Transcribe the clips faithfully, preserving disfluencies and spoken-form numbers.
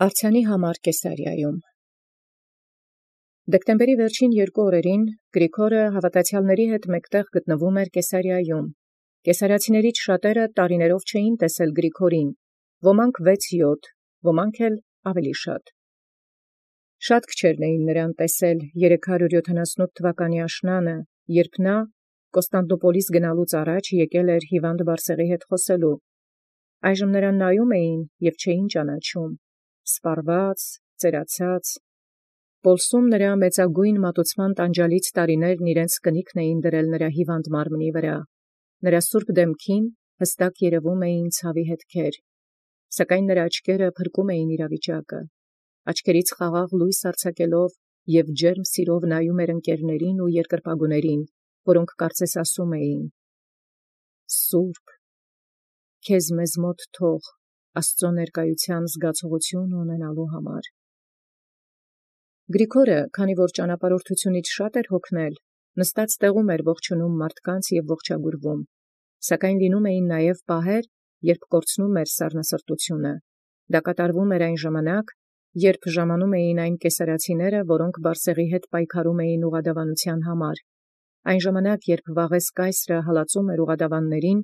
Արձանի համար Կեսարիայում։ Դեկտեմբերի վերջին երկու օրերին Գրիգորը հաւատացեալսն հետ մեկտեղ գտնվում էր Կեսարիայում։ Կեսարացիներից շատերը տարիներով չէին տեսել Գրիգորին, ոմանք վեց-յոթ, ոմանք էլ ավելի շատ։ Շատ քչերն էին նրան տեսել երեք հարյուր յոթանասունութ թվականի աշնանը, երբ նա Կոստանդնուպոլիս գնալուց առաջ եկեալ էր հիւանդ Բարսեղի հետ խոսելու։ Այժմ նրան նայում էին և չէին ճանաչում, սպառված, ծերացած։ Պոլսում նրա մեծագոյն մատուցման տանջալից տարիներն իրենց կնիքն էին դրել նրա հիվանդ մարմնի վրա, նրա սուրբ դեմքին հստակ երևում էին ցաւի հետքեր, սակայն նրա աչքերը փրկում էին իրավիճակը, աչքերից խաղաղ լույս արձակելով և ջերմ սիրով նայում էր ընկերներին ու երկրպագուներին, որոնք կարծես ասում էին. «Սուրբ, քեզ մեզ մոտ թող Աստուծոյ ներկայութեան զգացողութիւն ունենալու համար»։ Գրիգորը, քանի որ ճանապարհորդութիւնից շատ էր հոգնել, նստած տեղում էր ողջունում մարդկանց և ողջագուրվում, սակայն լինում էին նաև պահեր, երբ կորցնում էր սառնասրտութիւնը։ Դա կատարվում էր այն ժամանակ, երբ ժամանում էին այն կեսարացիները, որոնք Բարսեղի հետ պայքարում էին ուղղադավանութեան համար, այն ժամանակ, երբ Վաղէս կայսրը հալածում էր ուղղադավաններին,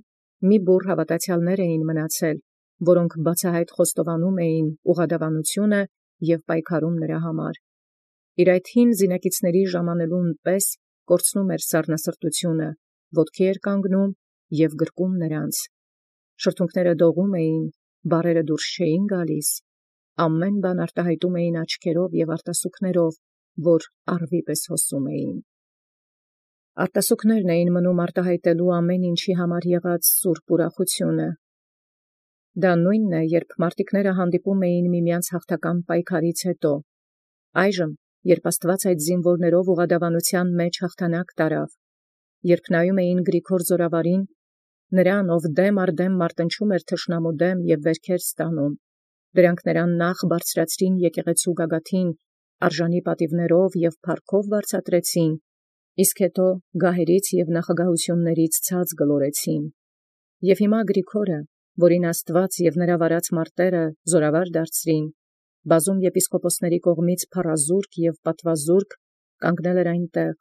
մի բուռ հաւատացեալսն էին մնացել, որոնք բացահայտ խոստովանում էին ուղղադավանութիւնը և պայքարում նրա համար։ Իր այդ հին զինակիցների ժամանելուն պես կորցնում էր սառնասրտութիւնը, ոտքի էր կանգնում և գրկում նրանց։ Շրթունքները դողում էին, բառերը դուրս չէին գալիս, ամեն բան արտահայտում էին աչքերով և արտասուքներով, որ առվի պես հոսում էին։ Արտասուքներն էին մնում արտահայտելու ամեն ինչի համար եղած սուրբ ուրախութիւնը։ Դա նոյնն է, երբ մարտիկները հանդիպում էին միմեանց հաղթական պայքարից յետո, այժմ, երբ Աստուած այդ զինուորներով ուղղադավանութեան մեջ հաղթանակ տարավ, երբ նայում էին Գրիգոր զօրավարին, նրան, ով դեմ առ դեմ մարտնչում էր թշնամու դեմ և վերքեր ստանում, դրանք նրան նախ բարձրացրին եկեղեցու գագաթին արժանի պատիւներով և փառքով վարձատրեցին, իսկ հետո գահերից և նախագահութիւններից ցած գլորեցին։ Եւ հիմա Գրիգորը, որին Աստուած և նրա վարած մարտերը զօրավար դարձրին, բազում եպիսկոպոսաց կողմից փառազուրկ և պատվազուրկ, կանգնել էր այնտեղ։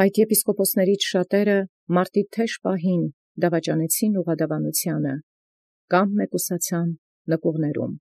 Այդ եպիսկոպոսացն շատերը մարտի թեժ պահին դավաճանեցին ուղղադավանութեանը, կամ մեկուսացան նկուղներում։